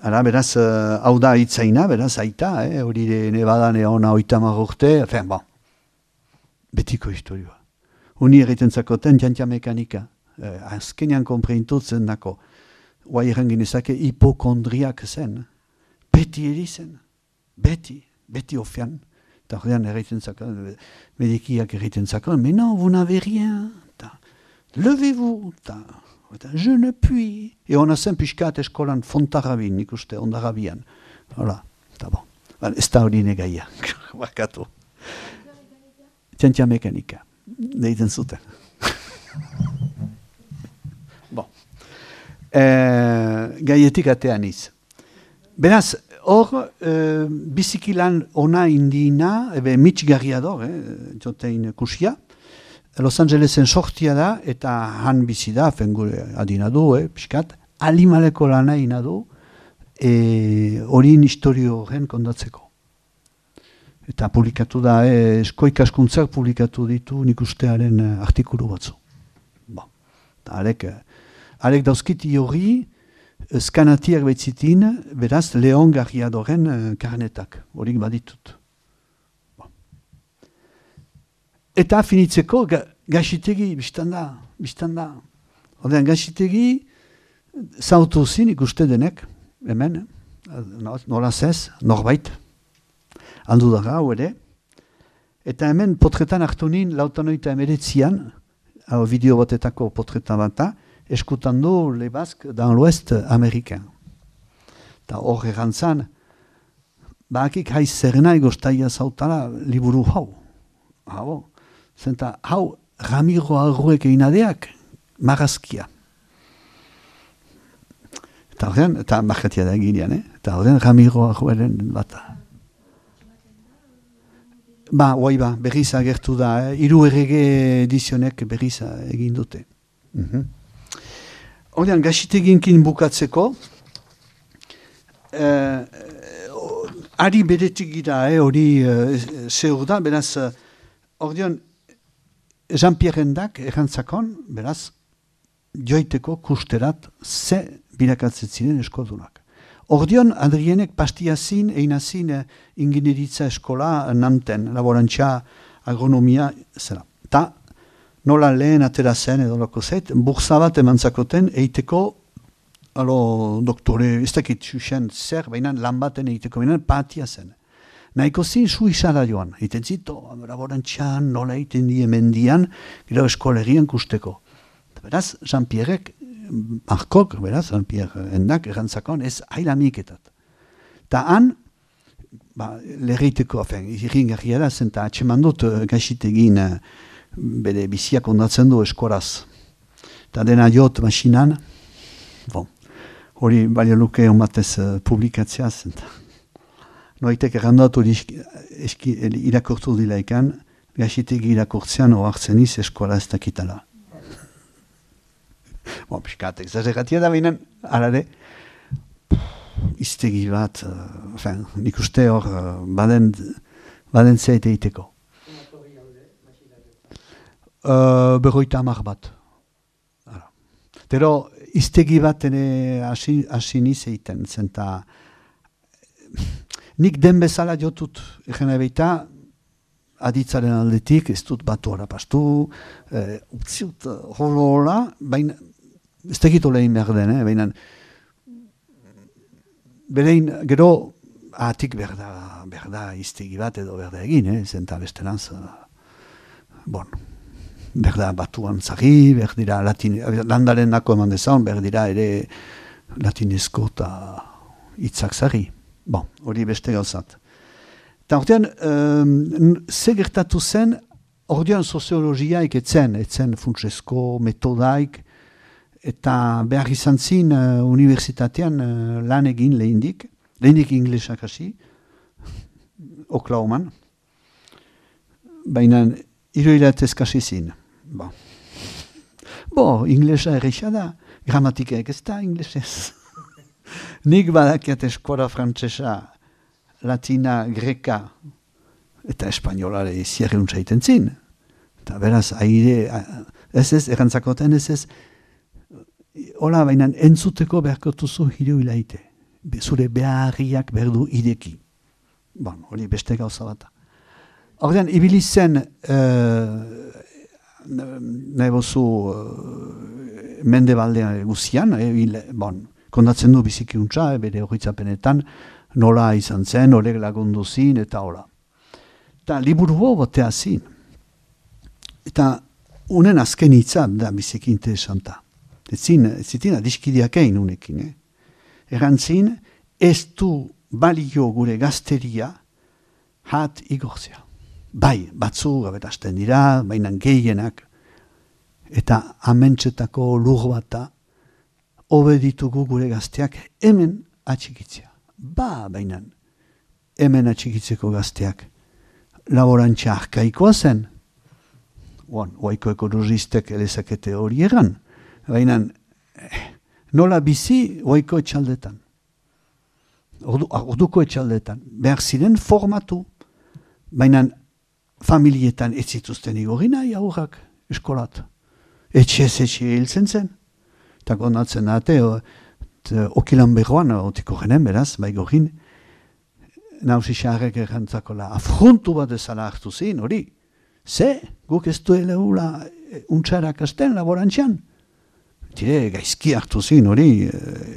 Hala, beraz, hau da Itzaina, beraz, aita, hori nebadan ona 30 urte, bon. Betiko historioa. Uni egiten zakoten jantia mekanika. Azkenean konpreintutzen dako. Oa irrangin ezake hipokondriak zen. Beti eri zen. Beti ofian. Eta horrean egiten zakon, medikiak egiten zakon, mais non, vous n'avez rien. Levez-vous. Je ne puis. Et ona zen pixkat eskolan fontarrabin, ikuste, ondarrabian. Hola, eta bon. Ez da hori negaia. Barkatu. Txantxa mekanika. Deiten zuten. Bon. Gaietik atean iz. Beraz, hor, bizikilan ona indina, mitxgarria dor, jotein kusia, Los Angelesen sortia da, eta han bizi da, fengure adina du, piskat, alimaleko lana ina du, horin historio horren kondatzeko. Eta publikatu da, eskoikaskuntzak publikatu ditu nik ustearen artikulu batzu. Bon. Arek dauzkiti hori, skanatiak betzitin, beraz, Leon Garriadoren karnetak, horik baditut. Bon. Eta finitzeko, gaxitegi, biztanda. Odean, gaxitegi, zautu zin ikuste denek, hemen, nola zez, norbait, aldu daga, hau ere. Eta hemen potretan hartu nin, 1989an, hau bideo batetako potretan bata, eskutan du Le Basque dans l'Ouest américain. Eta hor erantzan, bakik haiz zerena egoztaia zautala liburu hau. Hau, zenta hau Ramiro Arruek einadeak marazkia. Eta horrean, eta markatia da eginean, eta horrean Ramiro Arrueren bata. Berriz agertu da, 3 errege edizionek berriz egin dute. Horrean, gaxiteginkin bukatzeko, ari beretik gira, hori zeur da, beraz, horrean, Jean-Pierre-endak errantzakon, beraz, joiteko kusterat ze birakatzen ziren eskoldunak. Ordion, Adrienek pastiazin, einazin ingineritza eskola Nanten, laborantza, agronomia, zera. Ta, nola lehen atera zen edo loko zait, bursa bat emantzakoten eiteko, doktore, ez dakit xuxen zer, baina lan baten eiteko, baina patia zen. Nahiko zin suizara joan, eiten zito, laborantxan, nola eiten die mendian, gero eskolegian kusteko. Beraz, Jean-Pierrek, Markok, beraz, Jean-Pierre endak, errantzakon, ez hailamiketat. Ta han, legeiteko, irin garriara zen, eta atxeman dut gaxitegin bere biziak ondatzen du eskoraz. Eta dena jot masinan, hori balio luke onbatez publikatzea zen. Noitek errandatu irakortu dilaikan, gaxitegi irakortzean oartzen iz eskola ez dakitala. Piskat, exageratia da binen, alare, iztegi bat, nik uste hor, baden zeit eiteko. Berroita 10 bat. Tero, iztegi bat hasi niz eiten, zenta, nik den bezala jotut, egena beita, aditzaren aldetik, ez dut batu harapastu, utziut holola, baina, ez tegitu lehin behar den, baina, berein, gero, atik berda iztegi bat edo berda egin, zenta besteranz, berda batuan zari, berdira landaren nako eman dezan, berdira ere latinezko eta hitzak zari. Hori beste gauzat. Eta ordean, ze gertatu zen, ordean soziologiaik etzen funtsesko metodaik, eta behar izan zin unibertsitatean lan egin lehendik inglesak hasi, Oklahoman. Baina 3 hilabete eskasi zin. Inglesa erresa da, gramatikak ez da inglesez. Nik badakiat eskola frantsesa, latina, greka, eta espainolare zierreun zaiten zin. Eta beraz, ez, errantzakoten ez, hola, baina entzuteko beharkotuzu 3 hilabete. Zure beharriak berdu ideki. Hori beste gauza bat. Ordean, ibili zen, nahi bozu, mendebaldean guzian, kondatzen du bizikiuntza, bere horitzapenetan, nola izan zen, horrek lagundu zin, eta hola. Eta liburu botea zin. Eta unen azken hitza da biziki interesanta. Zitin adiskideak egin unekin. Erantzin, ez du balio gure gazteria hat igortzea. Bai, batzu gabetasten dira, baina gehienak, eta amentsetako lur bata, hobe ditugu gure gazteak hemen atxikitzea. Baina hemen atxikitzeko gazteak laborantza arkaikoa zen, oaiko ekonomistek elezakete hori egan, baina nola bizi oaiko etxaldetan. Orduko etxaldetan. Behar ziren formatu, baina familietan ez zituzten igorina aurrak eskolat. Etxe hiltzen zen. Eta gonatzen date, okilan behoan, otiko genen beraz, baigorin, nausixarrek errantzakola, afrontu bat ezala hartu zin, hori. Ze, guk ez duela untxarak asten laborantzian. Tire, gaizki hartu zin, hori,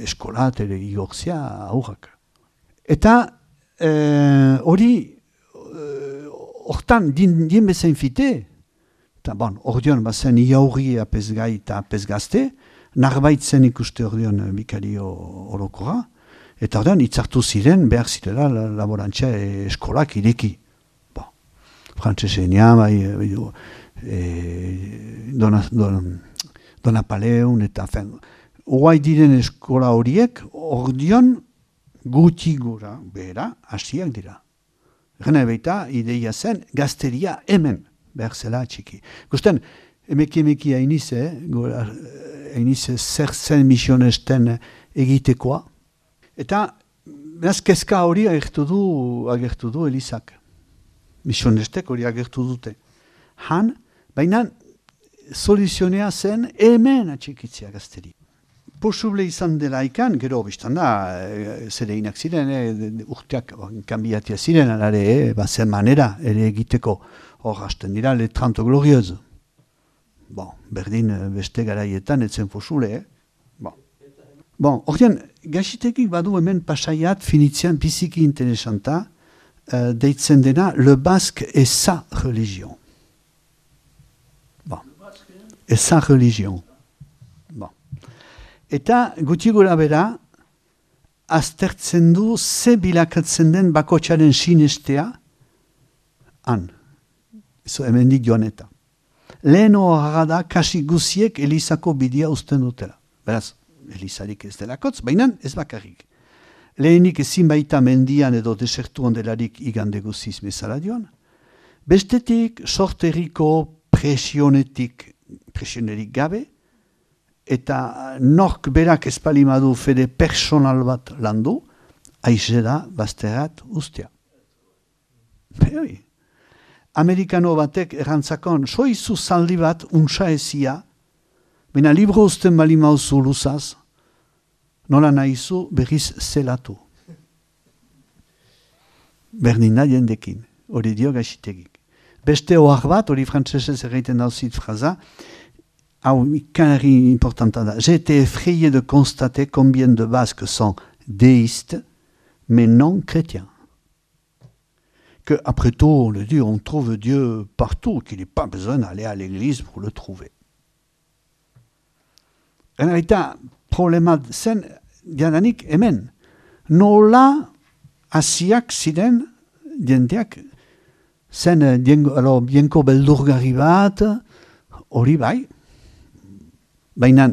eskolat ere igortzia aurrak. Eta hori, hortan, dien bezain fite, eta ordeon bazen iaurri apesgai eta apesgazte, narbaitzen ikuste ordeon bikario orokora, eta ordean itzartu ziren, behar zirela laborantzia eskolak ireki. Frantzesenia, Donapaleun, eta oai diren eskola horiek, ordeon gutxi gura, behera, hasiak dira. Gena baita, ideia zen, gazteria hemen, behar zela txiki. Gusten, emeki hainize, zer zen misionesten egitekoa, eta beraz kezka hori agertu du Elizak. Misionestek hori agertu dute. Baina soluzionea zen hemen atxikitzea gazteri. Posible izan dela ikan, gero biztan da, zereinak ziren, urteak kanbiatia ziren, alare, bazen manera, ere egiteko hor hasten dira, le 30 glorioz. Berdin beste garaietan, etzen posible, ordean, gaxitekik badu hemen pasaiat, finitzean biziki interesanta, deitzen dena, le basque et sa religion. Et sa religion. Eta guti gura bera, aztertzen du ze bilakatzen den bakotxaren sinestea, hemendik joan eta. Lehen horra da, kasi guziek Elizako bidea usten dutela. Beraz, Elizarik ez delakotz, baina ez bakarrik. Lehenik ezin baita mendian edo desertu ondelarik igande guziz bezala joan. Bestetik, sorteriko presionerik gabe, eta nork berak espalimadu fede personal bat landu, aize da bazterat ustea. Amerikano batek errantzakon, soizu zaldi bat untsa ezia, baina libro usten bali mauzu luzaz, nola nahizu berriz zelatu. Berdina jendekin, hori dio gaxitegik. Beste ohar bat, hori frantzesez erreiten dauzit fraza, hau ikanari importanta da. J'ai été effrayé de constater combien de Basques sont déistes, mais non chrétiens. Que, après tout, on le dit, on trouve Dieu partout, qu'il n'est pas besoin d'aller à l'église pour le trouver. En eta, problema zen, diadanik hemen. Nola hasiak ziren, diendeak, zen bienko beldurgarri bat, hori bai, baina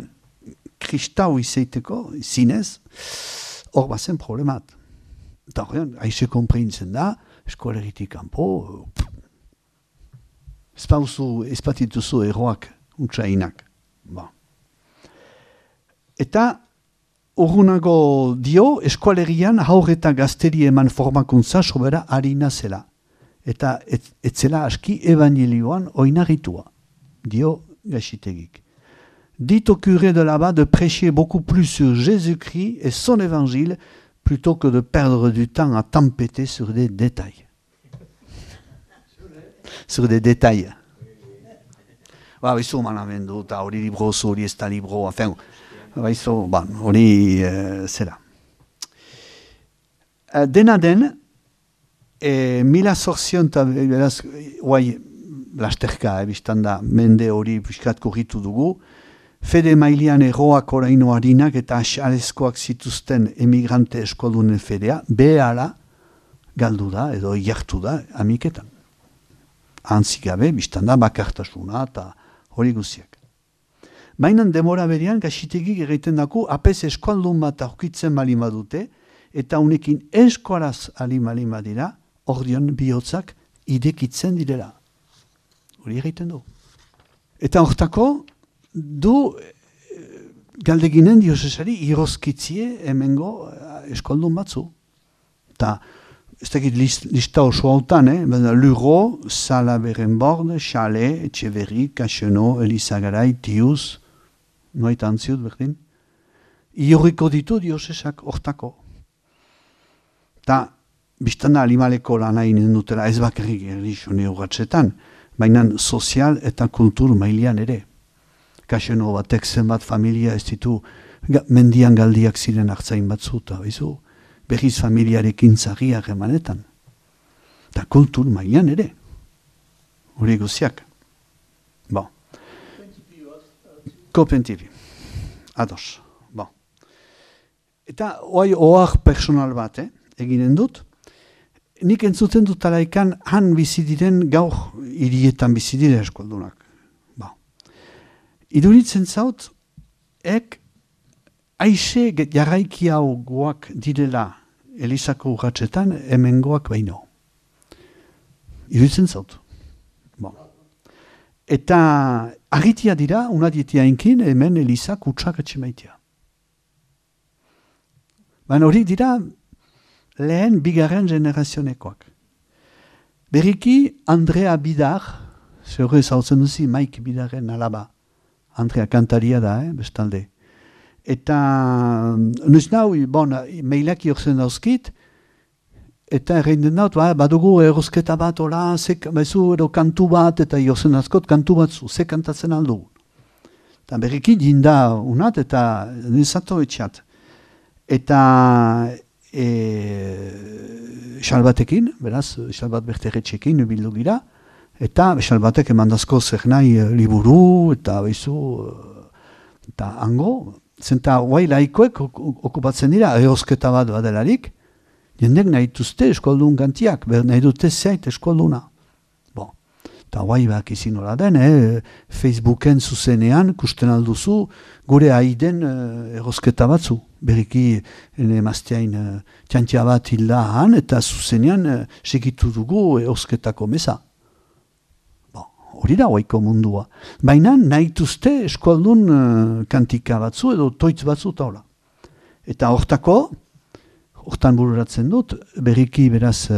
kristau izaiteko, zinez, hor bazen problemat. Eta horrean, haize konprintzen da, eskolegitik kanpo, ez batituzu erroak utsainak. Ba. Eta urgunago dio, eskualerian haur eta gazteri eman formakuntza sobera harina zela. Eta etzela aski evangelioan oinarritua, dio Gaxitegik. Dit au curé de là-bas de prêcher beaucoup plus sur Jésus-Christ et son évangile plutôt que de perdre du temps à tempêter sur des détails. Sur des détails. Ba, bizu manamendu, eta hori librozu, hori ez da libro, afen, bizu, hori zera. Dena den, mila zorzion eta beraz, guai, lasterka, biztan da, mende hori piskat korritu dugu, fede mailean erroak oraino harinak eta asalezkoak zituzten emigrante eskoldunen fedea, behala galdu da, edo jartu da, amiketan. Antzik gabe, biztan da, bakartasuna eta hori guziak. Mainan demora berian, Gaxitegik egiten dako, apez eskualdun bat aurkitzen balima dute, eta unekin eskualaz balima dira, ordion bihotzak idekitzen direla. Hori egiten du. Eta hortako, du galdeginen diosesari irozkitzie hemengo eskoldun batzu. Eta ez dakit lista oso hautan, Luro, Sala Berenbord, Xale, Etxeverri, Kaxeno, Elizagarai, Tiuz, noait antziut berdin. Iorriko ditu diosesak hortako. Eta biztana alimaleko lana inen dutela ez bakarrik erlixone urratxetan, baina sozial eta kultur mailean ere. Kaxeno batek zenbat familia ez ditu mendian galdiak ziren hartzain batzu, eta berriz familiarekin zagiak emanetan. Eta kultur mailean ere. Hori guziak. Bon. Kopentipi. Ados. Bon. Eta ohar personal bat, eginen dut. Nik entzuten dut alaikan han bizidiren gaur hirietan bizidire eskoldunak. Iduritzen zaut, aixe jarraiki hau goak direla Elizako urratxetan, hemen goak baino. Iduritzen zaut. Eta agitia dira, unadietia inkin, hemen Elizak utxak etxemaitia. Baina hori dira lehen bigarren generazionekoak. Berriki Andrea Bidar, zehore zautzen duzi Maik Bidarren alaba, Andrea kantaria da, bestalde. Eta, nuiz nau, mailak jorzen dauzkit, eta erreinen daut, badugu erosketa bat, ola, edo kantu bat, eta jorzen dauzkot kantu batzu, ze kantatzen aldu. Eta berriki jinda unat, eta nizato etxat. Eta xalbatekin, beraz, xalbat berterretxekin, bildu gira, eta xalbatek emandazko zer nahi liburu, eta behizu, eta hango, zenta guai laikoek okupatzen dira, erosketa bat badelarik, jendek nahi duzte eskoldun gantiak, nahi dute zeit eskolduna. Eta guai bak izin hola den, Facebooken zuzenean, kusten alduzu, gure haiden erosketa batzu. Beriki emazteain txantia bat hilda han, eta zuzenean segitu dugu erosketako meza. Hori da guaiko mundua. Baina nahi duzte eskoldun kantika batzu edo toitz batzu eta hola. Eta hortan bururatzen dut, beriki beraz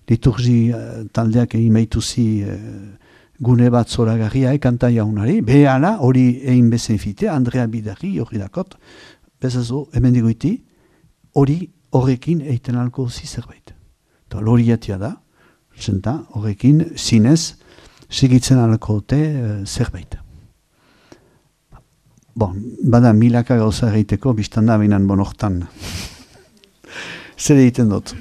liturgi taldeak egin behituzi gune bat zoragarria kanta jaunari, behala hori egin bezen fite, Andrea Bidarri hori dakot, bezazo, hemen digoiti, hori horrekin eiten alko zi zerbait. Eta loriatia da, zenta horrekin zinez segitzen alko zerbait. Bada milaka gauza egiteko, biztan da binan hortan. Zer egiten dut.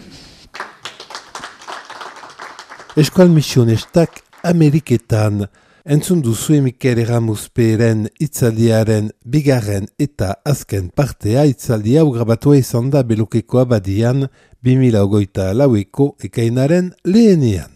Eskual misionestak Ameriketan entzun duzu Mikel Erramuzperen hitzaldiaren bigarren eta azken partea hitzaldia grabatua izan da Belukeko abadian 2024ko ekainaren lehenean.